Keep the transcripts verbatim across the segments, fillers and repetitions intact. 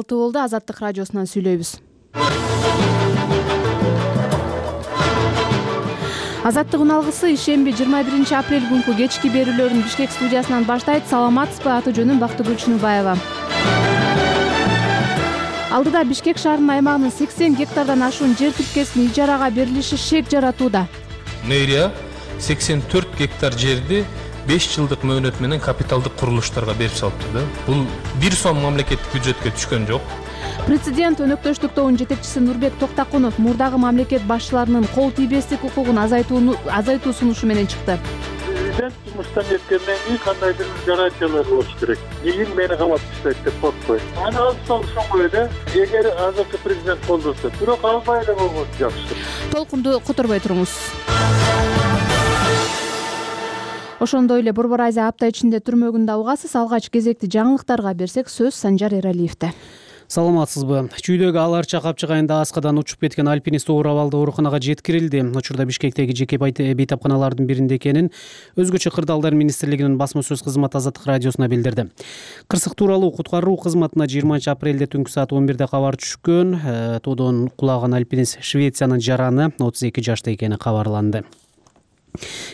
алты болду. Азаттык радиосунан сүйлөйбүз. Азаттык үналгысы ишемби жыйырма биринчи апрель күнкү кечки берүүлөрүн Бишкек студиясынан баштайт. Саламатсызбы? Аты жөнүм Бактыгүл Чыныбаева. Алдыда Бишкек шаарынын аймагынын сексен гектардан ашуун жер тилкесин ижарага берилиши шек жаратууда. Мэрия сексен төрт гектар жерди беш жылдык мөөнөт менен капиталдык курулуштарга берип салыптыр да. Бул бир сом мамлекеттик бюджетке түшкөн жок. Президент өнөктөштүк тобунун жетекчиси Нурбек Токтакунов мурдагы мамлекет башчыларынын кол тийбестик укугун азайтууну азайтуу сунушу менен чыкты. Президент жумуштан кеткенден кийин кандайдыр бир гарантиялар болуш керек. Кийин мени камап таштайт деп коркпойт. Аны алып ошонгой эле, эгер азыркы президент колдосо, бирок албай эле болгон жакшы. Толкунду которбой туруңуз. Ошондой эле Борбор Азия апта ичинде түрмөгүндө угасыз. Алгач кезекти жаңылыктарга берсек, сөз Санжар Эралиевде. Саламатсызбы? Чүйдөгү Аларча капчык айында аскадан учуп кеткен альпинист оор абалда ооруканага жеткирилди. Учурда Бишкектеги жеке бейтапканалардын биринде экенин Өзгөчө кырдаалдар министрлигинин басма сөз кызматы Азаттык радиосуна билдирди. Кырсык тууралуу куткаруу кызматына жыйырманчы апрелде түнкү саат он бирде кабар түшкөн. Тоодон кулаган альпинист Швециянын жараны отуз эки жашта экени кабарланды.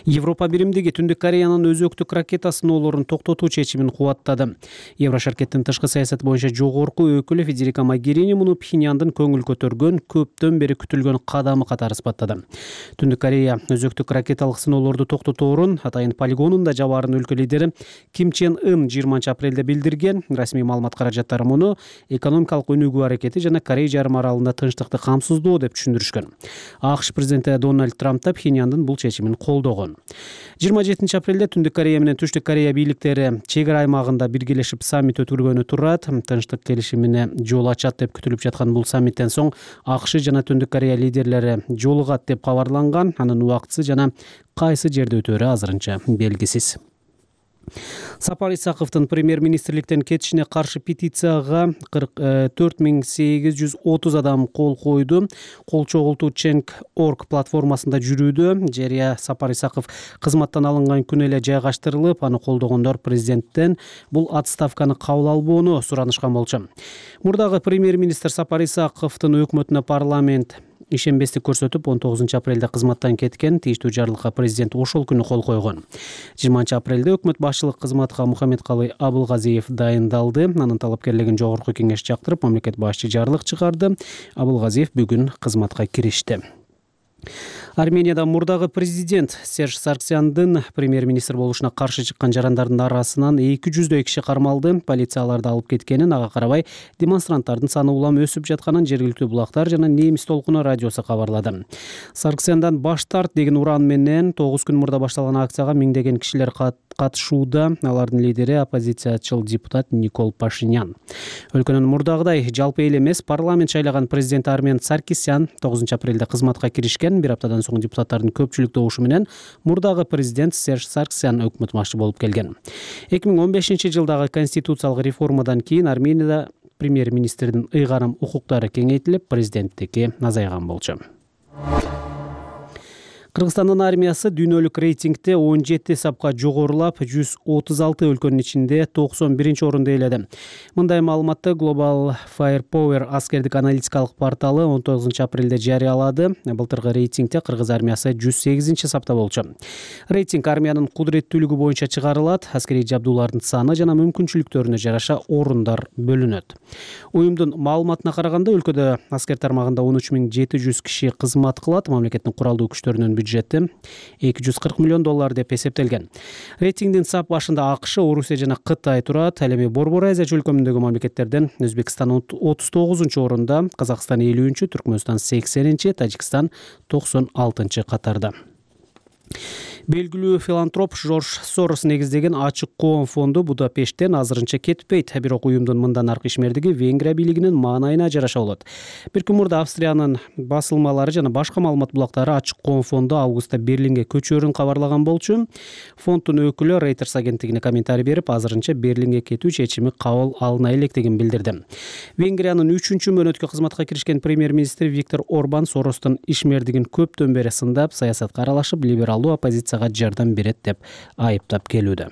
Европа биримдиги Түндүк Кореянын өзөктүк ракета сыноолорун токтотуу чечимин кубаттады. Еврошаркеттин тышкы саясат боюнча жогорку өкүлү Федерика Могерини муну Пхеньяндын көңүл көтөргөн, көптөн бери күтүлгөн кадамы катары сыпаттады. Түндүк Корея өзөктүк ракеталык сыноолорду токтоторун атайын полигонунда жабаарын өлкө лидери Ким Чен Ын жыйырманчы апрелде билдирген. Расмий маалымат каражаттары муну экономикалык өнүгүү аракети жана Корей жарым аралында тынчтыкты камсыздоо деп түшүндүрүшкөн. АКШ президенти Дональд Трамп да Пхеньяндын бул чечимин колдогон. жыйырма жетинчи апрелде Түндүк Корея менен Түштүк Корея бийликтери чек ара аймагында биргелешип саммит өткөргөнү турат. Тынчтык келишимине жол ачат деп күтүлүп жаткан бул саммиттен соң АКШ жана Түндүк Корея лидерлери жолугат деп кабарланган. Анын убактысы жана кайсы жерде өтөөрү азырынча белгисиз. Сапар Исаковдун премьер-министрликтен кетишине каршы петицияга кырк төрт миң сегиз жүз отуз адам кол койду. Кол чогултуу Change точка org платформасында жүрүүдө. Жарыя Сапар Исаков кызматтан алынган күнү эле жайгаштырылып, аны колдогондор президенттен бул отставканы кабыл албоону суранышкан болчу. Мурдагы премьер-министр Сапар Исаковдун өкмөтүнө парламент ишенбестик көрсөтүп, он тогузунчу апрелде кызматтан кеткен. Тийиштүү жарлыкка президент ошол күнү кол койгон. жыйырманчы апрелде өкмөт башчылык кызматка Мухаммедкалый Абылгазиев дайындалды. Анын талапкерлигин жогорку кеңеш жактырып, мамлекет башчы жарлык чыгарды. Абылгазиев бүгүн кызматка киришти. Арменияда мурдагы президент Серж Сарксяндын премьер-министр болушуна каршы чыккан жарандардын арасынан эки жүздөй киши кармалды. Полицияларды алып кеткенин, ага карабай демонстранттардын саны улам өсүп жатканын жергиликтүү булактар жана Немис толкуну радиосу кабарлады. Сарксяндан баш тарт деген уран менен тогуз күн мурда башталган акцияга миңдеген кишилер катышууда. Алардын лидери оппозициячыл депутат Никол Пашинян. Өлкөнүн мурдагыдай жалпы эл эмес, парламент шайлаган президент Армен Саркисян тогузунчу апрелде кызматка киришкен. Бир аптадан соң депутаттардын көпчүлүк добушу менен мурдагы президент Серж Сарксян өкмөт башчы болуп келген. эки миң он бешинчи жылдагы конституциялык реформадан кийин Арменияда премьер-министрдин ыйгарым укуктары кеңейтилип, президенттики азайган болчу. Кыргызстандын армиясы дүйнөлүк рейтингде он жети сапка жогорулап, жүз отуз алты өлкөнүн ичинде токсон биринчи орунду ээледи. Мындай маалыматты Global Firepower аскердик аналитикалык порталы он тогузунчу апрелде жарыялады. Былтыркы рейтингде кыргыз армиясы жүз сегизинчи сапта болчу. Рейтинг армиянын кудуреттүүлүгү боюнча чыгарылат. Аскерий жабдуулардын саны жана мүмкүнчүлүктөрүнө жараша орундар бөлүнөт. Уюмдун маалыматына караганда, өлкөдө аскер тармагында он үч миң жети жүз киши кызмат кылат. Мамлекеттин куралдуу күчтөрүнүн бюджети эки жүз кырк миллион доллар деп эсептелген. Рейтингдин сап башында АКШ, Орусия жана Кытай турат. Ал эми Борбор Азия чөлкөмүндөгү мамлекеттерден Өзбекстан отуз тогузунчу орунда, Казакстан элүүнчү, Түркмөнстан сексенинчи, Тажикстан токсон алтынчы катарда. Белгилүү филантроп Жорж Сорос негиздеген Ачык коом фонду Будапешттен азырынча кетпейт. Бирок уюмдун мындан аркы ишмердиги Венгрия бийлигинин маанайына жараша болот. Бир күн мурда Австриянын басылмалары жана башка маалымат булактары Ачык коом фонду августта Берлинге көчөөрүн кабарлаган болчу. Фонддун өкүлү Reuters агенттигине комментарий берип, азырынча Берлинге кетүү чечими кабыл алына электигин билдирди. Венгриянын үчүнчү мөөнөткө кызматка киришкен премьер-министр Виктор Орбан Соростун ишмердигин көптөн бери сындап, саясатка аралашып, либералдуу оппозиция жардам берет деп айыптап келүүдө.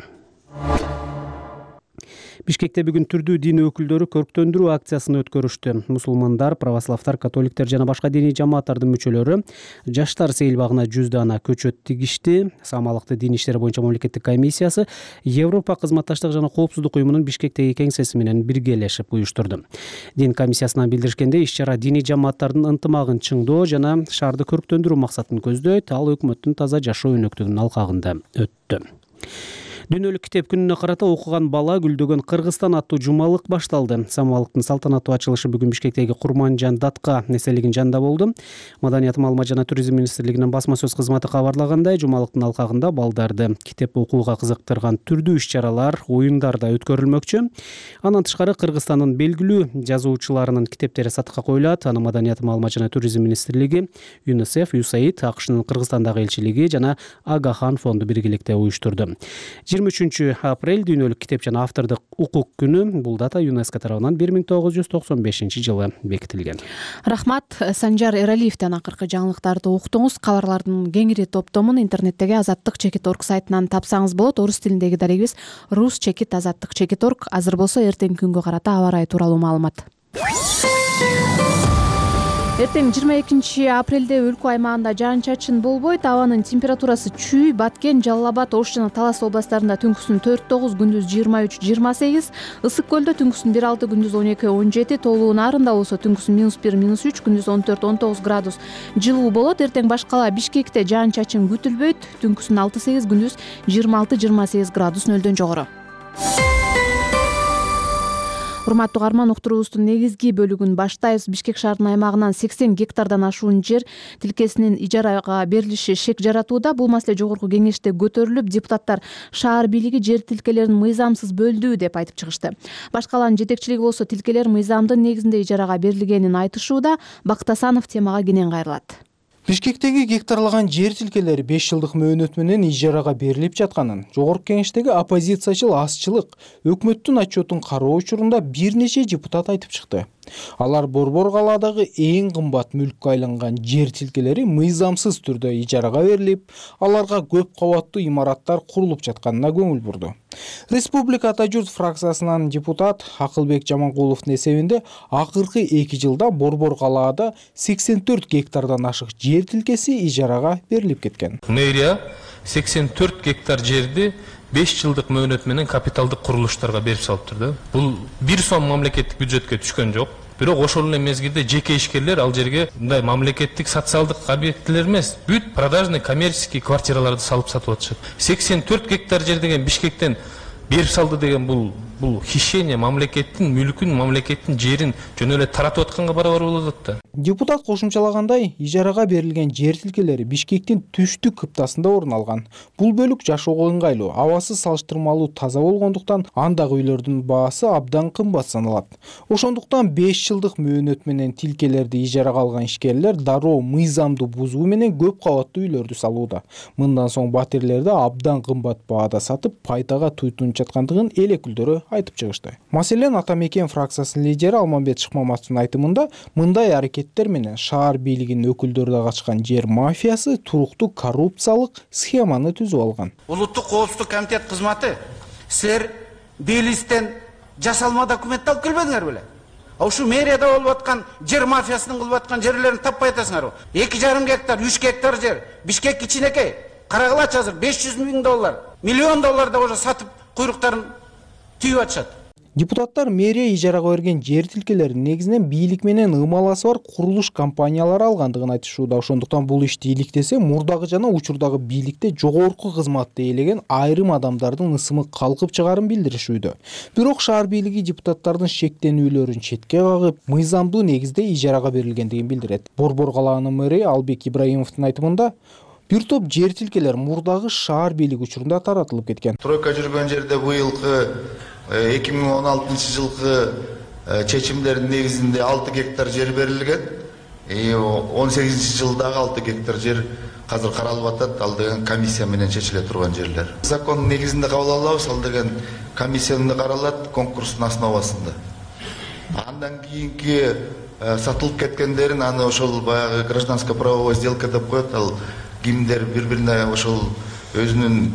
Бишкекте бүгүн түрдүү дин өкүлдөрү көрктөндүрүү акциясын өткөрүштү. Мусулмандар, православдар, католиктер жана башка диний жамааттардын мүчөлөрү жаштар сейилбагына жүз дана көчөт тигишти. Самалыкты дин иштери боюнча мамлекеттик комиссиясы Европа кызматташтык жана коопсуздук уюмунун Бишкектеги кеңсеси менен биргелешип уюштурду. Дин комиссиясынан билдиришкенде, иш-чара диний жамааттардын ынтымагын чыңдоо жана шаарды көрктөндүрүү максатын көздөйт. Ал өкмөттүн таза жашоо өнөктүгүнүн алкагында өттү. Дүйнөлүк китеп күнүнө карата окуган бала гүлдөгөн Кыргызстан аттуу жумалык башталды. Самалыктын салтанаттуу ачылышы бүгүн Бишкектеги Курманжан Датка эстелигинин жанында болду. Маданият, маалымат жана туризм министрлигинин басма сөз кызматы кабарлагандай, жумалыктын алкагында балдарды китеп окууга кызыктырган түрдүү иш-чаралар, оюндар да өткөрүлмөкчү. Андан тышкары Кыргызстандын белгилүү жазуучуларынын китептери сатыкка коюлат. Аны Маданият, маалымат жана туризм министрлиги, ЮНИСЕФ, ЮСАИД, АКШнын Кыргызстандагы элчилиги жана Агахан фонду биргеликте уюштурду. жыйырма үчүнчү апрель дүйнөлүк китеп жана автордук укук күнү. Бул дата ЮНЕСКО тарабынан бир миң тогуз жүз токсон бешинчи жылы бекитилген. Рахмат. Санжар Эралиевден акыркы жаңылыктарды уктуңуз. Кабарлардын кеңири топтомун интернеттеги азаттык чекит орг сайтынан тапсаңыз болот. Орус тилиндеги дарегибиз рус чекит азаттык чекит орг. Азыр болсо эртеңки күнгө карата аба ырайы тууралуу маалымат. Эртең жыйырма экинчи апрелде өлкө аймагында жаан-чачын болбойт. Абанын температурасы Чүй, Баткен, Жалал Абад, Ош жана Талас областарында түнкүсүн төрт тогуз, күндүз жыйырма үч жыйырма сегиз, Ысык көлдө түнкүсүн бир алты, күндүз он эки он жети, Тоолуу Нарында болсо түнкүсүн минус бир минус үч, күндүз он төрт он тогуз градус жылуу болот. Эртең башкала Бишкекте жаан-чачын күтүлбөйт. Түнкүсүн алты сегиз, күндүз жыйырма алты жыйырма сегиз градус нөлдөн жогору. Урматтуу каарман, уктуруубуздун негизги бөлүгүн баштайбыз. Бишкек шаарынын аймагынан сексен гектардан ашуун жер тилкесинин ижарага берилиши шек жаратууда. Бул маселе жогорку кеңеште көтөрүлүп, депутаттар шаар бийлиги жер тилкелерин мыйзамсыз бөлдү деп айтып чыгышты. Башкаланын жетекчилиги болсо тилкелер мыйзамдын негизинде ижарага берилгенин айтышууда. Бактасанов темага кенен кайрылат. Бишкектеги гектарлаган жер тилкелери беш жылдык мөөнөт менен ижарага берилип жатканын, жогорку кеңештеги оппозициячыл азчылык өкмөттүн отчетун кароо учурунда бир нече депутат айтып чыкты. Алар Борбор калаадагы эң кымбат мүлккө айланган жер тилкелери мыйзамсыз түрдө ижарага берилип, аларга көп кабаттуу имараттар курулуп жатканына көңүл бурду. Республика Ата журт фракциясынан депутат Акылбек Жаманкуловдун эсебинде акыркы эки жылда Борбор калаада сексен төрт гектардан ашык жер тилкеси ижарага берилип кеткен. Мэрия сексен төрт гектар жерди беш жылдык мөөнөт менен капиталдык курулуштарга берип салыптыр да. Бул бир сом мамлекеттик бюджетке түшкөн жок. Бирок ошол эле мезгилде жеке ишкерлер ал жерге мындай мамлекеттик социалдык объектилер эмес, бүт продажный коммерческий квартираларды салып сатып атышат. сексен төрт гектар жер деген Бишкектен берип салды деген бул бул хищение, мамлекеттин мүлкүн, мамлекеттин жерин жөн эле таратып атканга барабар болот да. Депутат кошумчалагандай, ижарага берилген жер тилкелери Бишкектин түштүк кыптасында орун алган. Бул бөлүк жашоого ыңгайлуу, абасы салыштырмалуу таза болгондуктан андагы үйлөрдүн баасы абдан кымбат саналат. Ошондуктан беш жылдык мөөнөт менен тилкелерди ижарага алган ишкерлер дароо мыйзамды бузуу менен көп кабаттуу үйлөрдү салууда. Мындан соң батирлерди абдан кымбат баада сатып, пайдага туйтунуп жаткандыгын эл өкүлдөрү айтып чыгышты. Маселен, Ата Мекен фракциясынын лидери Алмамбет Шыкмаматовдун айтымында, мындай аракеттер менен шаар бийлигинин өкүлдөрү да качкан жер мафиясы туруктуу коррупциялык схеманы түзүп алган. Улуттук коопсуздук комитет кызматы, силер Белистен жасалма документ алып келбедиңер беле? Ошо мэрияда болуп аткан жер мафиясынын кылып аткан жерлерин таппай атасыңарбы? эки жарым гектар, үч гектар жер, Бишкек кичинекей. Карагылачы азыр беш жүз миң доллар, миллион доллар да уже сатып куйруктарын түйүп атышат. Депутаттар мэрия ижарага берген жер тилкелерин негизинен бийлик менен ымаласы бар курулуш компаниялары алгандыгын айтышууда. Ошондуктан бул ишти иликтесе, мурдагы жана учурдагы бийликте жогорку кызматты ээлеген айрым адамдардын ысымы калкып чыгарын билдиришүүдө. Бирок шаар бийлиги депутаттардын шектенүүлөрүн четке кагып, мыйзамдуу негизде ижарага берилгендигин билдирет. Борбор калаанын мэри Албек Ибраимовдун айтымында, бир топ жер тилкелер мурдагы шаар бийлиги учурунда таратылып кеткен. Тройка жүргөн жерде быйылкы эки миң он алтынчы жылкы чечимдердин негизинде алты гектар жер берилген. он сегизинчи жылдагы алты гектар жер азыр каралып атат. Ал деген комиссия менен чечиле турган жерлер. Закон негизинде кабыл алабыз, ал деген комиссияда каралат конкурстун основасында. Андан кийинки сатылып кеткендерин аны ошол баягы гражданско правовой сделка деп коет. Ал кимдер бири-бирине ошол өзүнүн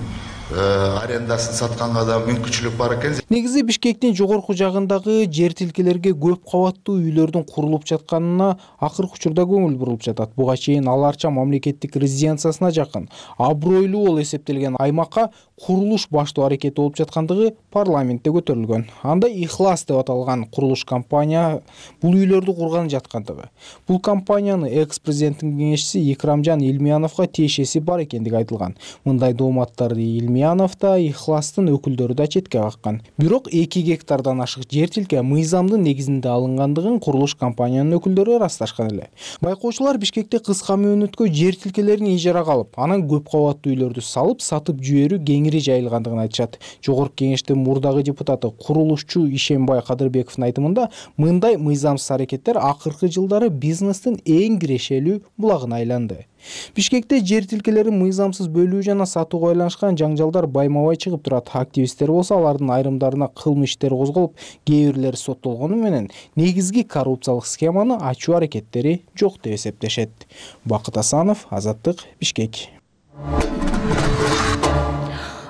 арендасын сатканга да мүмкүнчүлүк бар экен. Негизи Бишкектин жогорку жагындагы жер тилкелерге көп кабаттуу үйлөрдүн курулуп жатканына акыркы учурда көңүл бурулуп жатат. Буга чейин Ал Арча мамлекеттик резиденциясына жакын абройлуу болуп эсептелген аймакка курулуш баштоо аракети болуп жаткандыгы парламентте көтөрүлгөн. Анда Ихлас деп аталган курулуш компания бул үйлөрдү курган жаткандыгы. Бул компанияны экс-президенттин кеңешчиси Икрамжан Илмияновго тиешеси бар экендиги айтылган. Мындай дооматтарды Илмиянов да Ихластын өкүлдөрү да четке каккан. Бирок эки гектардан ашык жер тилке мыйзамдын негизинде алынгандыгын курулуш компаниянын өкүлдөрү ырасташкан эле. Байкоочулар Бишкекте кыска мөөнөткө жер тилкелерин ижарага алып, анан көп кабаттуу үйлөрдү салып, сатып жиберүү кеңири жайылгандыгын айтышат. Жогорку кеңештин мурдагы депутаты, курулушчу Ишембай Кадырбековдун айтымында, мындай мыйзамсыз аракеттер акыркы жылдары бизнестин эң кирешелүү булагына айланды. Бишкекте жер тилкелерин мыйзамсыз бөлүү жана сатууга байланышкан жаңжалдар байма-бай чыгып турат. Активисттер болсо алардын айрымдарына кылмыш иштери козголуп, кээ бирлери соттолгону менен негизги коррупциялык схеманы ачуу аракеттери жок деп эсептешет. Бакыт Асанов, Азаттык, Бишкек.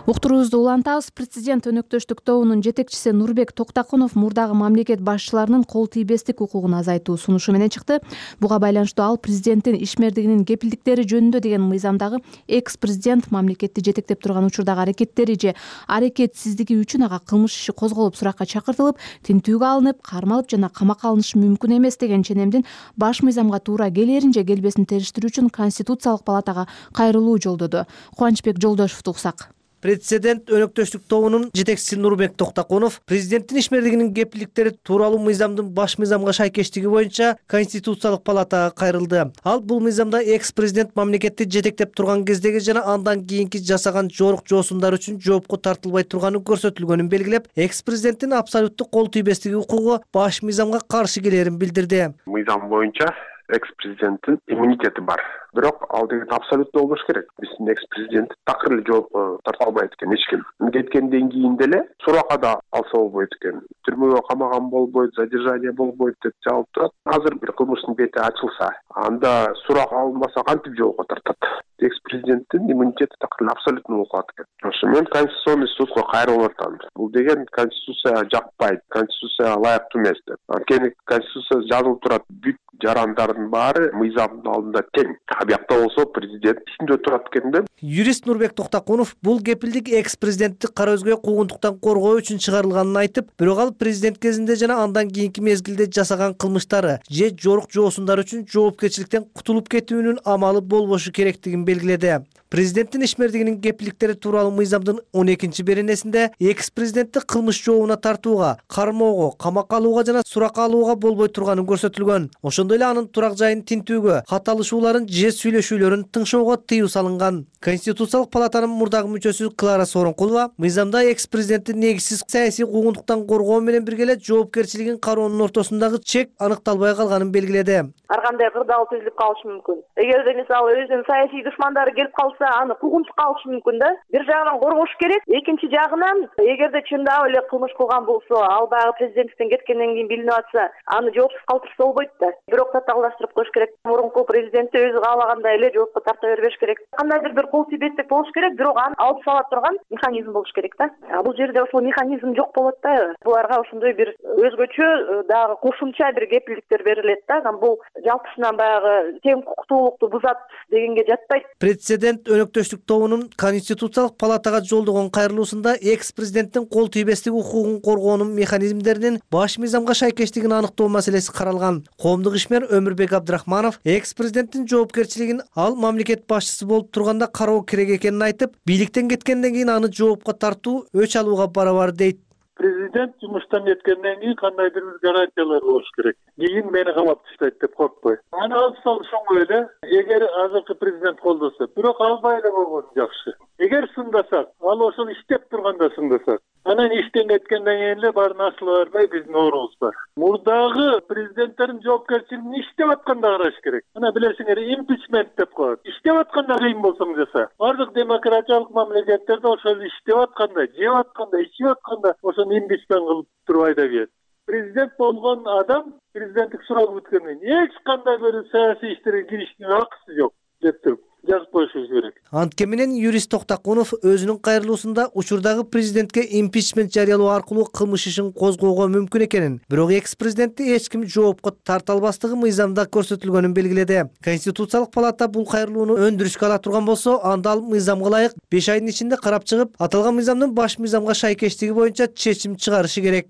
Уктуруубузду улантабыз. Президент өнөктөштүк тобунун жетекчиси Нурбек Токтакунов мурдагы мамлекет башчыларынын кол тийбестик укугун азайтуу сунушу менен чыкты. Буга байланыштуу ал президенттин ишмердигинин кепилдиктери жөнүндө деген мыйзамдагы экс-президент мамлекетти жетектеп турган учурдагы аракеттери же аракетсиздиги үчүн ага кылмыш иши козголуп суракка чакыртылып, тинтүүгө алынып, кармалып жана камакка алынышы мүмкүн эмес деген ченемдин баш мыйзамга туура келерин же келбесин териштирүү үчүн Конституциялык палатага кайрылуу жолдоду. Кубанычбек Жолдошевду уксак. Президент өнөктөштүк тобунун жетекчиси Нурбек Токтакунов президенттин ишмердигинин кепилдиктери тууралуу мыйзамдын баш мыйзамга шайкештиги боюнча Конституциялык палатага кайрылды. Ал бул мыйзамда экс-президент мамлекетти жетектеп турган кездеги жана андан кийинки жасаган жорук жоосундар үчүн жоопко тартылбай турганы көрсөтүлгөнүн белгилеп, экс-президенттин абсолюттук кол тийбестиги укугу баш мыйзамга каршы келерин билдирди. Мыйзам боюнча экс-президенттин иммунитети бар. Бирок ал деген абсолютно болбош керек. Биздин экс-президент такыр эле жоопко тарта албайт экен эч ким. Кеткенден кийин деле суракка да алса болбойт экен. Түрмөгө камаган болбойт, задержание болбойт деп жабылып турат. Азыр бир кылмыштын бети ачылса, анда сурак алынбаса кантип жоопко тартат? Экс-президенттин иммунитети такыр эле абсолютно болуп калат экен. Ошо мен Конституционный судко кайрылып атам. Бул деген Конституцияга жакпайт, Конституцияга ылайыктуу эмес деп. Анткени Конституцияда жазылып турат, бүт жарандардын баары мыйзамдын алдында тең. Абиякта болсо президент үстүндө турат экен да. Юрист Нурбек Токтакунов бул кепилдик экс-президентти кара өзгө куугунтуктан коргоо үчүн чыгарылганын айтып, бирок ал президент кезинде жана андан кийинки мезгилде жасаган кылмыштары же жорук жоосундар үчүн жоопкерчиликтен кутулуп кетүүнүн амалы болбошу керектигин белгиледи. Президенттин ишмердигинин кепилдиктери тууралуу мыйзамдын он экинчи беренесинде экс-президентти кылмыш жообуна тартууга, кармоого, камакка алууга жана суракка алууга болбой турганы көрсөтүлгөн. Ошондой эле анын турак жайын тинтүүгө, кат алышууларын же сүйлөшүүлөрүн тыңшоого тыюу салынган. Конституциялык палатанын мурдагы мүчөсү Клара Сооронкулова мыйзамда экс-президентти негизсиз саясий куугунтуктан коргоо менен бирге эле жоопкерчилигин кароонун ортосундагы чек аныкталбай калганын белгиледи. Ар кандай кырдаал түзүлүп калышы мүмкүн. Эгерде мисалы өзүнүн саясий душмандары келип калса, аны куугунтукка алышы мүмкүн да. Бир жагынан коргош керек, экинчи жагынан эгерде чындап эле кылмыш кылган болсо, ал баягы президенттиктен кеткенден кийин билинип атса, аны жоопсуз калтырса болбойт да. Бирок татаалдаштырып коюш керек. Мурунку президентти өзү каалагандай эле жоопко тарта бербеш керек. Кандайдыр бир кол тийбестик болуш керек, бирок аны алып сала турган механизм болуш керек да. Бул жерде ошол механизм жок болот да. Буларга ошондой бир өзгөчө дагы кошумча бир кепилдиктер берилет да. Бул жалпысынан баягы тең укуктуулукту бузат дегенге жатпайт. Президент өнөктөштүк тобунун Конституциялык палатага жолдогон кайрылуусунда экс-президенттин кол тийбестик укугун коргоонун механизмдеринин баш мыйзамга шайкештигин аныктоо маселеси каралган. Коомдук ишмер Өмүрбек Абдрахманов экс-президенттин жоопкерчилигин ал мамлекет башчысы болуп турганда кароо керек экенин айтып, бийликтен кеткенден кийин аны жоопко тартуу өч алууга барабар дейт. Президент жумуштан кеткенден кийин кандайдыр бир гарантиялар болуш керек. Кийин мени камап таштайт деп коркпой. Аны алып салып ошондой эле, эгер азыркы президент колдосо, бирок албай эле болгону жакшы. Эгер сындасак, ал ошол иштеп турганда сындасак, анан иштен кеткенден кийин эле баарын асыла бербей биздин оорубуз бар. Мурдагы президенттердин жоопкерчилигин иштеп атканда караш керек. Ана билесиңер, импичмент деп коет. Иштеп атканда кыйын болсоң жаса. Бардык демократиялык мамлекеттерде ошол иштеп атканда, жеп атканда, ичип атканда ошону импичмент кылып туруп айда берет. Президент болгон адам президенттик сурак бүткөндөн эч кандай бир саясий иштерге киришинин акысы жок деп туруп. жазып коюшубуз керек. Анткени менен юрист Токтакунов өзүнүн кайрылуусунда учурдагы президентке импичмент жарыялоо аркылуу кылмыш ишин козгоого мүмкүн экенин, бирок экс-президентти эч ким жоопко тарта албастыгы мыйзамда көрсөтүлгөнүн белгиледи. Конституциялык палата бул кайрылууну өндүрүшкө ала турган болсо, анда ал мыйзамга ылайык беш айдын ичинде карап чыгып, аталган мыйзамдын баш мыйзамга шайкештиги боюнча чечим чыгарышы керек.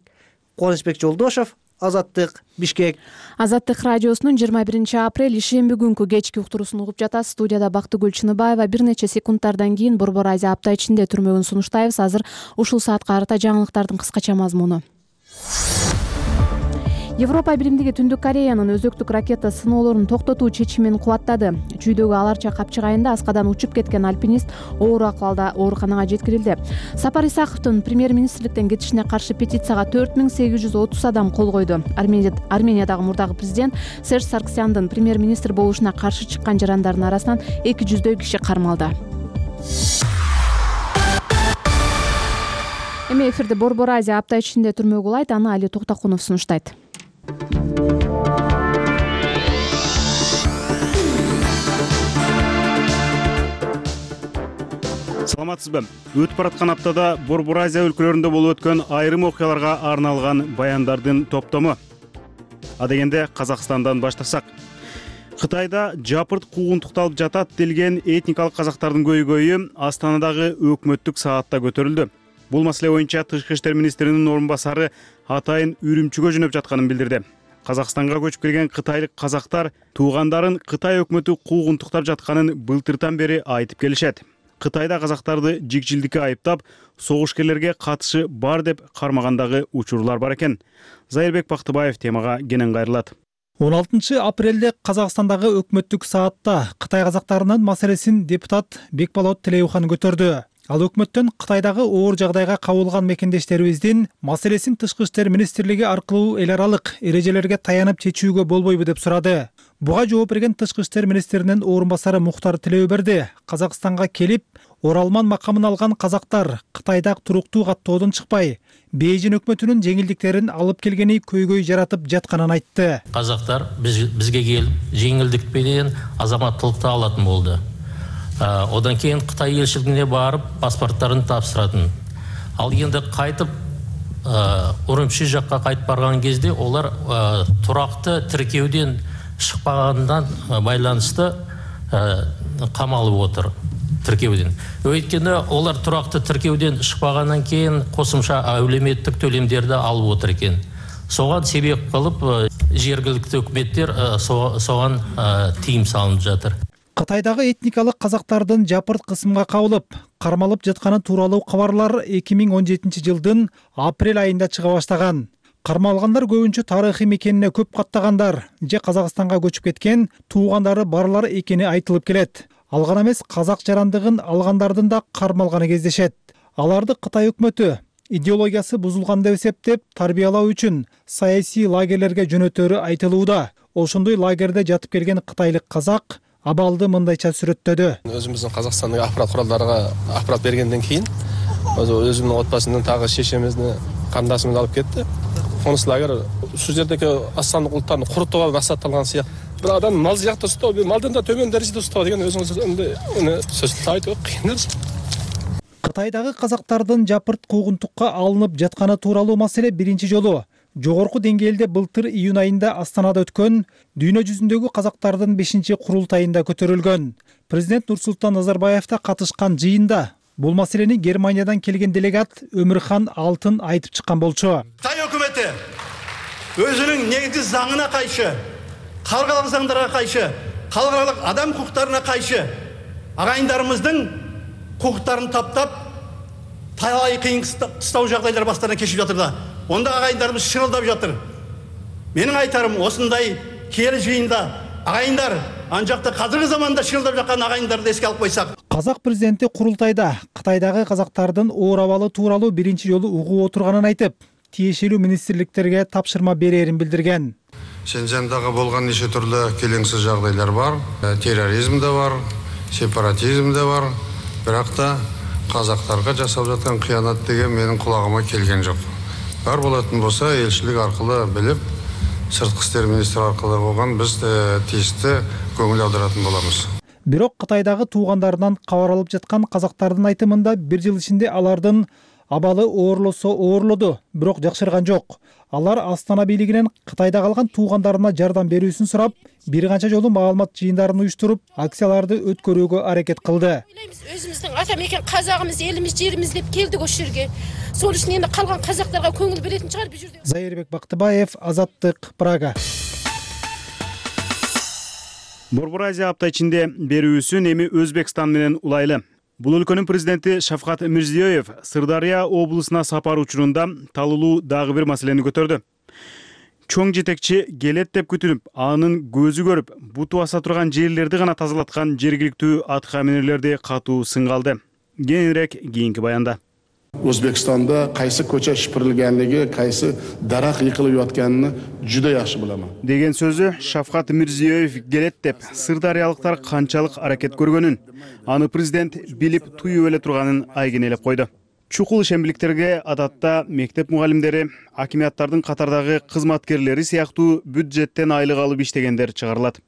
Кубанычбек Жолдошов, Азаттык, Бишкек. Азаттык радиосунун жыйырма биринчи апрель ишемби күнкү кечки уктуруусун угуп жатасыз. Студияда Бактыгүл Чыныбаева. Бир нече секундтардан кийин Борбор Азия апта ичинде түрмөгүн сунуштайбыз. Азыр ушул саатка карата жаңылыктардын кыскача мазмуну. Европа Биримдиги Түндүк Кореянын өзөктүк ракета сыноолорун токтотуу чечимин кубаттады. Чүйдөгү аларча капчык айында аскадан учуп кеткен альпинист оор акыбалда ооруканага жеткирилди. Сапар Исаковдун премьер-министрликтен кетишине каршы петицияга төрт миң сегиз жүз отуз адам кол койду. Армениядагы мурдагы президент Серж Сарксяндын премьер-министр болушуна каршы чыккан жарандардын арасынан эки жүздөй киши кармалды. Эми эфирде Борбор Азия апта ичинде түрмөгү улайт, аны Али Токтакунов сунуштайт. Саламатсызбы? Өтүп бараткан аптада Борбор Азия өлкөлөрүндө болуп өткөн айрым окуяларга арналган баяндардын топтому. Адегенде Казакстандан баштасак. Кытайда жапырт куугунтукталып жатат делген этникалык казактардын көйгөйү Астанадагы өкмөттүк саатта көтөрүлдү. Бул маселе боюнча Тышкы иштер министринин орун басары атайын Үрүмчүгө жөнөп жатканын билдирди. Казакстанга көчүп келген кытайлык казактар туугандарын Кытай өкмөтү куугунтуктап жатканын былтыртан бери айтып келишет. Кытайда казактарды жикжилдикке айыптап, согушкерлерге катышы бар деп кармагандагы учурлар бар экен. Зайырбек Бактыбаев темага кенен кайрылат. он алтынчы апрелде Казакстандагы өкмөттүк саатта Кытай казактарынын маселесин депутат Бекболот Телеухан көтөрдү. Ал өкмөттөн Кытайдагы оор жагдайга кабылган мекендештерибиздин маселесин Тышкы иштер министрлиги аркылуу эл аралык эрежелерге таянып чечүүгө болбойбу деп сурады. Буга жооп берген Тышкы иштер министринин орун басары Мухтар Тилеуберди Казакстанга келип, оралман макамын алган казактар Кытайда туруктуу каттоодон чыкпай, Бейжин өкмөтүнүн жеңилдиктерин алып келгени көйгөй жаратып жатканын айтты. Казактар бизге келип, жеңилдик менен азаматтыкты алатын болду. Одан кейін Қытай елшілігіне барып паспорттарын тапсыратын. Ал енді қайтып Үрүмчи жаққа қайтып барған кезде олар тұрақты тіркеуден шықпағандан байланысты қамалып отыр тіркеуден. Өйткені олар тұрақты тіркеуден шықпағаннан кейін қосымша әлеуметтік төлемдерді алып отыр екен. Соған себеп қылып жергілікті өкіметтер соған тыйым салынып жатыр. Кытайдагы этникалык казактардын жапырт кысымга кабылып, кармалып жатканы тууралуу кабарлар эки миң он жетинчи жылдын апрель айында чыга баштаган. Кармалгандар көбүнчө тарыхый мекенине көп каттагандар же Казакстанга көчүп кеткен туугандары барлар экени айтылып келет. Ал гана эмес, казак жарандыгын алгандардын да кармалганы кездешет. Аларды Кытай өкмөтү идеологиясы бузулган деп эсептеп, тарбиялоо үчүн саясий лагерлерге жөнөтөрү айтылууда. Ошондой лагерде жатып келген кытайлык казак абалды мындайча сүрөттөдү. Өзүмүздүн Казакстандагы акпарат куралдарга акпарат бергенден кийин өзүмдүн отбасымдын тагы шешемизди, кандашымызды алып кетти. Конус лагер ушул жердеги астандык улуттарды курутууга максатталган сыяктуу. Бир адам мал жакта устоо, малдан да төмөн дәрежеде устоо деген өзүңүз эми сөзсүз айтып кыйын нерсе. Кытайдагы казактардын жапырт куугунтукка алынып жатканы тууралуу маселе биринчи жолу жогорку деңгээлде былтыр июнь айында Астанада өткөн дүйнө жүзүндөгү казактардын бешинчи курултайында көтөрүлгөн. Президент Нурсултан Назарбаев да катышкан жыйында бул маселени Германиядан келген делегат Өмүрхан Алтын айтып чыккан болчу. Кытай өкмөтү өзүнүн негизги заңына кайшы, калкалык заңдарга кайшы, калкалык адам укуктарына кайшы агайындарыбыздын укуктарын таптап, талай кыйын кыстау жагдайлар баштарынан кечирип жатыр да. Онда агайындарыбыз шырылдап жатыр. Менин айтарым осындай киелі жыйында агайындар, анжакта казыркы заманда шырылдап жаткан агайындарды эске алып койсак. Казак президенти курултайда Кытайдагы казактардын оор абалы тууралуу биринчи жолу угуп отурганын айтып, тиешелүү министрликтерге тапшырма берерин билдирген. Шенжендагы болгон нече түрлүү келеңсиз жагдайлар бар, терроризм да бар, сепаратизм да бар, бирок да казактарга жасап жаткан кыянат деген менин кулагыма келген жок. Бар болатын болса, елшілік арқылы біліп, сыртқы істер министрі арқылы болған біз тиісті көңіл аударатын боламыз. Бирок Кытайдагы туугандарынан кабар алып жаткан казактардын айтымында бир жыл ичинде алардын абалы оорлосо оорлоду, бирок жакшырган жок. Алар Астана бийлигинен Кытайда калган туугандарына жардам берүүсүн сурап, бир канча жолу маалымат жыйындарын уюштуруп, акцияларды өткөрүүгө аракет кылды. Өзүбүздүн ата мекен казагыбыз, элибиз, жерибиз деп келдик ошол жерге. Сол үчүн энди калган казактарга көңүл беретін чыгар бул жерде. Зайырбек Бактыбаев, Азаттык, Прага. Борбор Азия апта ичинде берүүсүн эми Өзбекстан менен улайлы. Бул өлкөнүн президенти Шавкат Мирзиёев Сырдария облусуна сапар учурунда талуулуу дагы бир маселени көтөрдү. Чоң жетекчи келет деп күтүнүп, анын көзү көрүп, буту аса турган жерлерди гана тазалаткан жергиликтүү аткаминерлерди катуу сынга алды. Кеңирээк кийинки баянда. Өзбекстанда кайсы көчө шипирилгенлиги, кайсы дарак йыкылып жатканын жуда жакшы биламын деген сөзү Шавкат Мирзиёев келет деп сырдариялыктар канчалык аракет көргөнүн, аны президент билип туюп эле турганын айгинелеп койду. Чукул ишембиликтерге адатта мектеп мугалимдери, акимияттардын катардагы кызматкерлери сыяктуу бюджеттен айлык алып иштегендер чыгарылат.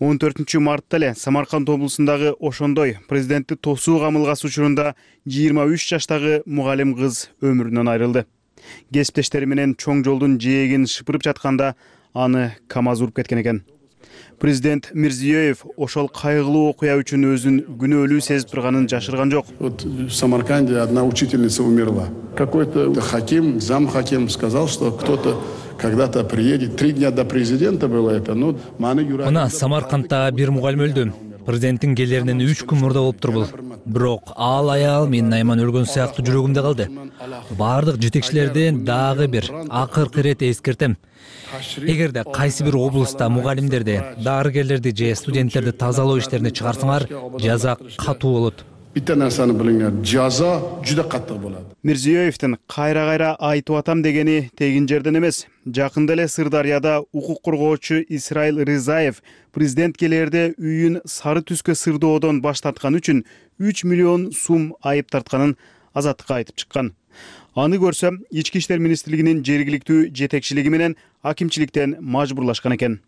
он төртүнчү мартта эле Самарканд облусундагы ошондой президентти тосуу камылгасы учурунда жыйырма үч жаштагы мугалим кыз өмүрүнөн айрылды. Кесиптештери менен чоң жолдун жээгин шыпырып жатканда аны КамАЗ уруп кеткен экен. Президент Мирзиёев ошол кайгылуу окуя үчүн өзүн күнөөлүү сезип турганын жашырган жок. Вот в Самарканде одна учительница умерла. Какой-то хаким, зам-хаким сказал, что кто-то когда-то приедет. Три дня до президента было это. Ну, Мына Самаркандта бир мугалим өлдү. Президенттин келеринен үч күн мурда болуп турбул. Бирок ал аял менин айман өлгөн сыяктуу жүрөгүмдө калды. Бардык жетекчилерден дагы бир акыркы ирет эскертем. Эгерде кайсы бир облуста мугалимдерди, дарыгерлерди же студенттерди тазалоо иштерине чыгарсаңар, жаза катуу болот. Bitta narsani bilinglar, jazo juda qattiq bo'ladi. Мирзиёевдин кайра-кайра айтып атам дегени тегин жерден эмес. Жакында эле Сырдарияда укук коргоочу Исраил Ризаев президент келерде үйүн сары түскө сырдоодон баш тарткан үчүн үч миллион сум айып тартканын Азаттыкка айтып чыккан. Аны көрсө, Ички иштер министрлигинин жергиликтүү жетекчилиги менен акимчиликтен мажбурлашкан экен.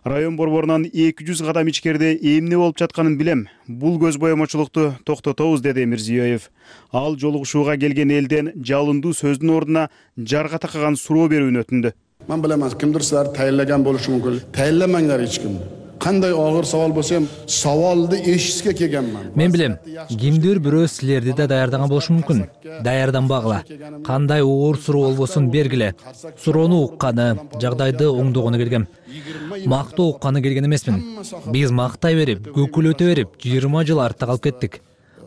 Район борборунан эки жүз кадам ичкерде эмне болуп жатканын билем. Бул көз боемочулукту токтотобуз, деди Мирзиёев. Ал жолугушууга келген элден жалындуу сөздүн ордуна жарга такаган суроо берүүнү өтүндү. Мен билемин, кимдир силерди тайынлаган болушу мүмкүн. Тайынламаңдар эч кимди. Кандай огыр сабал болсо ham сабалды эшишке келгенмин. Мен билем, кимдир бирөө силерди да даярдаган болушу мүмкүн. Даярданбагыла. Кандай оор суроо болбосун бергиле. Суроону укканы, жагдайды оңдогону келгем. Мактоо укканы келген эмесмин. Биз мактай берип, көкүлөтө берип, жыйырма жыл артта калып кеттик.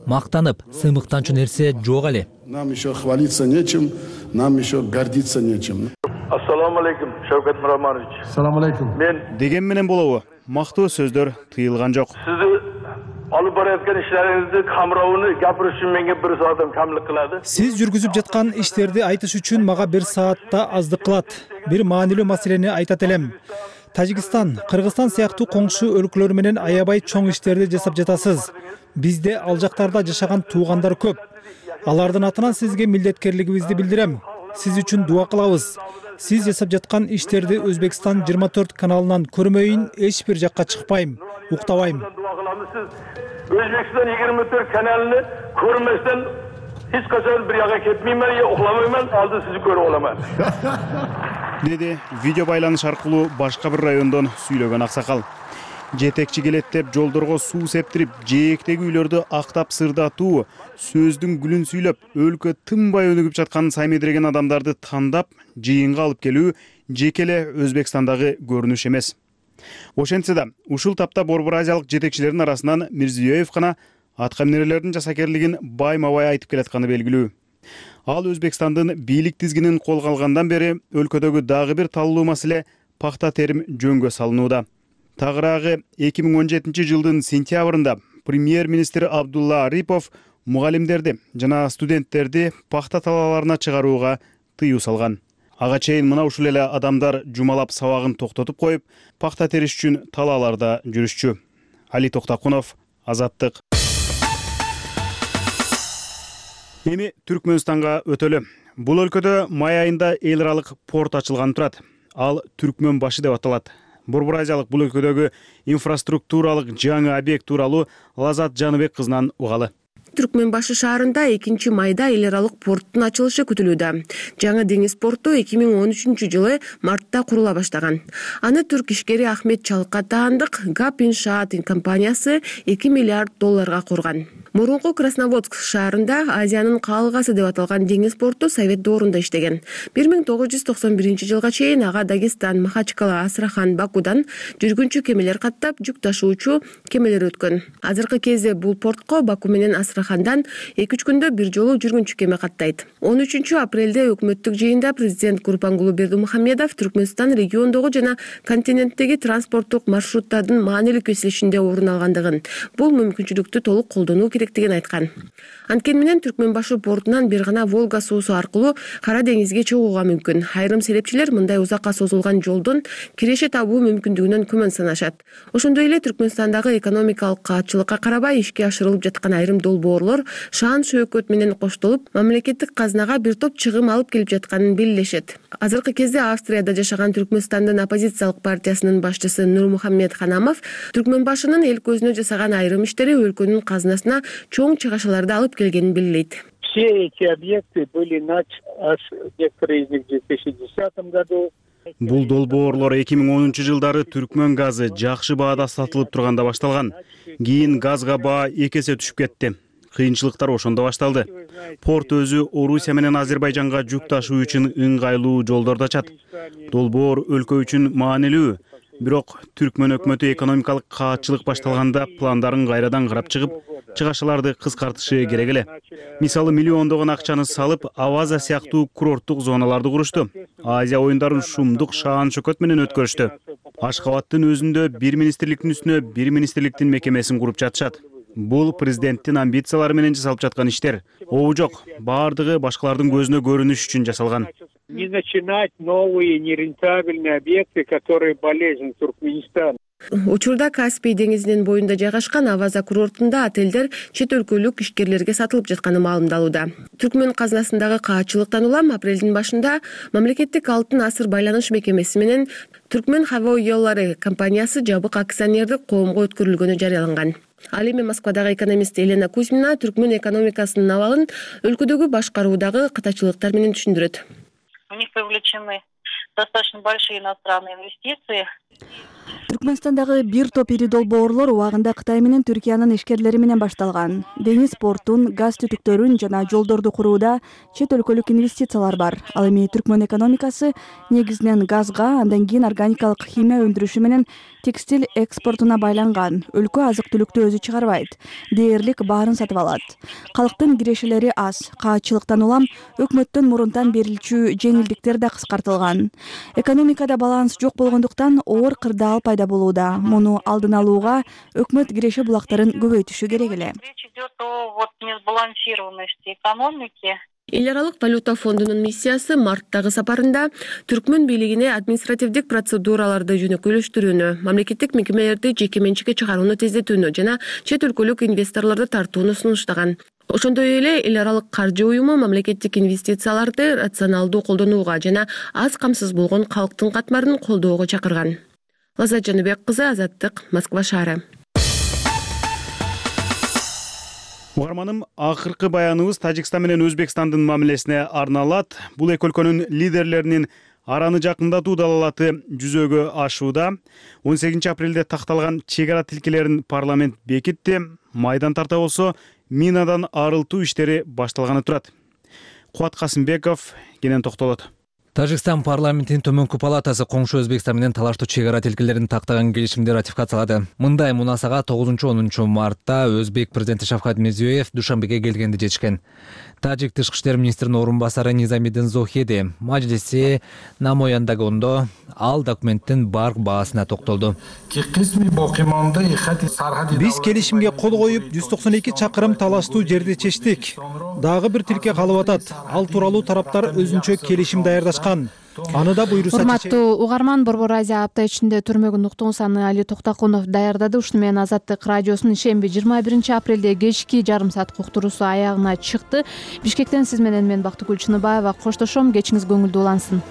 Мактанып, сыймыктанчу нерсе жок эле. Нам еще хвалиться нечем, нам еще гордиться нечем. Ассаламу алейкум, Шавкат Миромонович. Ассаламу алейкум. Мен деген менен болобу? Мактоо сөздөр тыйылган жок. Сизди алып бараткан ишлериңизди камырауыны гапырыш үчүн менге бир саатым камлык кылады. Сиз жүргүзүп жаткан иштерди айтыш үчүн мага бир саатта аздык кылат. Бир маанилүү маселени айтат элем. Тажикстан, Кыргызстан сыяктуу коңшу өлкөлөр менен аябай чоң иштерди жасап жатасыз. Бизде ал жактарда жашаган туугандар көп. Алардын атынан сизге милдеткерлигибизди билдирем. Сиз үчүн дуа кылабыз. Сиз жасап жаткан иштерди Өзбекстан жыйырма төрт каналынан көрмөйүн, эч бир жакка чыкпайм, уктабайм. Өзбекстан жыйырма төрт каналын көрмөстөн эч качан бир жакка кетмеймин, же укламаймын, алды сизди көрүп аламын. Деди видео байланыш аркылуу башка бир райондон сүйлөгөн аксакал. Жетекчи келет деп жолдорго суу септирип, жээктеги үйлөрдү актап сырдатуу, сөздүн гүлүн сүйлөп, өлкө тынбай өнүгүп жатканын саймедиреген адамдарды тандап, жыйынга алып келүү жеке эле Өзбекстандагы көрүнүш эмес. Ошентсе да, ушул тапта Борбор Азиялык жетекчилердин арасынан Мирзиёев гана аткаминерлердин жасакерлигин байма-бай айтып келатканы белгилүү. Ал Өзбекстандын бийлик тизгинин колго алгандан бери өлкөдөгү дагы бир талуу маселе пахта терим жөнгө салынууда. Тагыраагы эки миң он жетинчи жылдын сентябрында премьер-министр Абдулла Арипов мугалимдерди жана студенттерди пахта талааларына чыгарууга тыюу салган. Ага чейин мына ушул эле адамдар жумалап сабагын токтотуп коюп, пахта териш үчүн талааларда жүрүшчү. Али Токтакунов, Азаттык. Эми Түркмөнстанга өтөлү. Бул өлкөдө май айында эл аралык порт ачылганы турат. Ал Түркмөн башы деп аталат. Борбор Азиялык бул өлкөдөгү инфраструктуралык жаңы объект тууралуу Лазат Жаныбек кызынан угалы. Түркмөнбашы шаарында экинчи майда эл аралык порттун ачылышы күтүлүүдө. Жаңы деңиз порту эки миң он үчүнчү жылы мартта курула баштаган. Аны түрк ишкери Ахмет Чалкатаандык ГАП иншаат компаниясы эки миллиард долларга курган. Мурунку Красноводск шаарында Азиянын каалгасы деп аталган деңиз порту Совет доорунда иштеген. бир миң тогуз жүз токсон биринчи жылга чейин ага Дагестан, Махачкала, Астрахан, Бакудан жүргүнчү кемелер каттап, жүк ташуучу кемелер өткөн. Азыркы кезде бул портко Баку менен Астрахандан эки үч күндө бир жолу жүргүнчү кеме каттайт. он үчүнчү апрелде өкмөттүк жыйында президент Гурбангулы Бердимухамедов Түркмөнстан региондогу жана континенттеги транспорттук маршруттардын маанилүү кесилишинде орун алгандыгын, бул мүмкүнчүлүктү толук колдонуу керектигин айткан. Анткени менен Түркмөнбашы портунан бир гана Волга суусу аркылуу Кара деңизге чыгууга мүмкүн. Айрым серепчилер мындай узакка созулган жолдон киреше табуу мүмкүндүгүнөн күмөн санашат. Ошондой эле Түркмөнстандагы экономикалык каатчылыкка карабай ишке ашырылып жаткан айрым долбоорлор шаан шөөкөт менен коштолуп, мамлекеттик казнага бир топ чыгым алып келип жатканын белгилешет. Азыркы кезде Австрияда жашаган Түркмөнстандын оппозициялык партиясынын башчысы Нурмухаммед Ханамов Түркмөнбашынын эл көзүнө жасаган айрым иштери өлкөнүн казынасына чоң чыгашаларды алып келгенин белгилейт. Все эти объекты были начаты, аж некоторые из них в две тысячи десятом году. Бул долбоорлор эки миң онунчу жылдары Түркмөн газы жакшы баада сатылып турганда башталган. Кийин газга баа эки эсе түшүп кетти. Кыйынчылыктар ошондо башталды. Порт өзү Орусия менен Азербайжанга жүк ташуу үчүн ыңгайлуу жолдорду ачат. Долбоор өлкө үчүн маанилүү. Бирок Түркмөн өкмөтү экономикалык каатчылык башталганда пландарын кайрадан карап чыгып, чыгашаларды кыскартышы керек эле. Мисалы миллиондогон акчаны салып, Аваза сыяктуу курорттук зоналарды курушту. Азия оюндарын шумдук шаан шөкөт менен өткөрүштү. Ашкабадтын өзүндө бир министрликтин үстүнө бир министрликтин мекемесин куруп жатышат. Бул президенттин амбициялары менен жасалып жаткан иштер. Обу жок, баардыгы башкалардын көзүнө көрүнүш үчүн жасалган. Не начинать новые нерентабельные объекты, которые болезнь Туркменистана. Учурда Каспий деңизинин боюнда жайгашкан Аваза курортунда отелдер чет өлкөлүк ишкерлерге сатылып жатканы маалымдалууда. Түркмөн казынасындагы каатчылыктан улам апрелдин башында мамлекеттик алтын асыр байланыш мекемеси менен Түркмөн хаво жолдору компаниясы жабык акционердик коомго өткөрүлгөнү жарыяланган. Ал эми Москвадагы экономист Елена Кузьмина Түркмөн экономикасынын абалын өлкөдөгү башкаруудагы катачылыктар менен түшүндүрөт. У них привлечены достаточно большие иностранные инвестиции. Түркмөнстандагы бир топ ири долбоорлор убагында Кытай менен Түркиянын ишкерлери менен башталган. Деңиз портун, газ түтүктөрүн жана жолдорду курууда чет өлкөлүк инвестициялар бар. Ал эми Түркмөн экономикасы негизинен газга, андан кийин органикалык химия өндүрүшү менен текстиль экспортуна байланган. Өлкө азык-түлүктү өзү чыгарбайт. Дээрлик баарын сатып алат. Калктын кирешелери аз. Каатчылыктан улам өкмөттөн мурунтан берилчү жеңилдиктер да кыскартылган. Экономикада баланс жок болгондуктан оор кырдаал пайда болууда. Муну алдын алууга өкмөт киреше булактарын көбөйтүшү керек эле. Речь идет о вот несбалансированности экономики. Эл аралык валюта фондунун миссиясы марттагы сапарында Түркмөн бийлигине административдик процедураларды жөнөкөйлөштүрүүнү, мамлекеттик мекемелерди жеке менчикке чыгарууну тездетүүнү жана чет өлкөлүк инвесторлорду тартууну сунуштаган. Ошондой эле эл аралык каржы уюму мамлекеттик инвестицияларды рационалдуу колдонууга жана аз камсыз болгон калктын катмарын колдоого чакырган. Лазат Жаныбек кызы, Азаттык, Москва шаары. Угарманым, акыркы баяныбыз Тажикстан менен Өзбекстандын мамилесине арналат. Бул эки өлкөнүн лидерлеринин араны жакындатуу далалаты жүзөгө ашууда. он сегизинчи апрелде такталган чек ара тилкелерин парламент бекитти. Майдан тарта болсо минадан арылтуу иштери башталганы турат. Кубат Касымбеков кенен токтолот. Тажикстан парламентинин төмөнкү палатасы коңшу Өзбекстан менен талаштуу чек ара тилкелерин тактаган келишимди ратификациялады. Мындай мунасага тогузунчу онунчу мартта Өзбек президенти Шавкат Мирзиёев Душанбеге келгенде жетишкен. Тажик тышкы иштер министринин орун басары Низамиддин Зохеди мажлиси намояндагондо ал документтин бар баасына токтолду. Биз келишимге кол коюп жүз токсон эки чакырым талаштуу жерди чечтик. Дагы бир тилке калып атат. Ал тууралуу тараптар өзүнчө келишим даярдашкан. Аны да буйруса. Урматтуу угарман, Борбор Азия апта ичинде түрмөгүн уктугун саны Али Токтокунов даярдады. Ушуну менен Азаттык радиосунун шемби жыйырма биринчи апрелде кечки жарым саат уктуруусу аягына чыкты. Бишкектен сиз менен мен Бактыгүл Чыныбаева коштошом. Кечиңиз көңүлдүү улансын.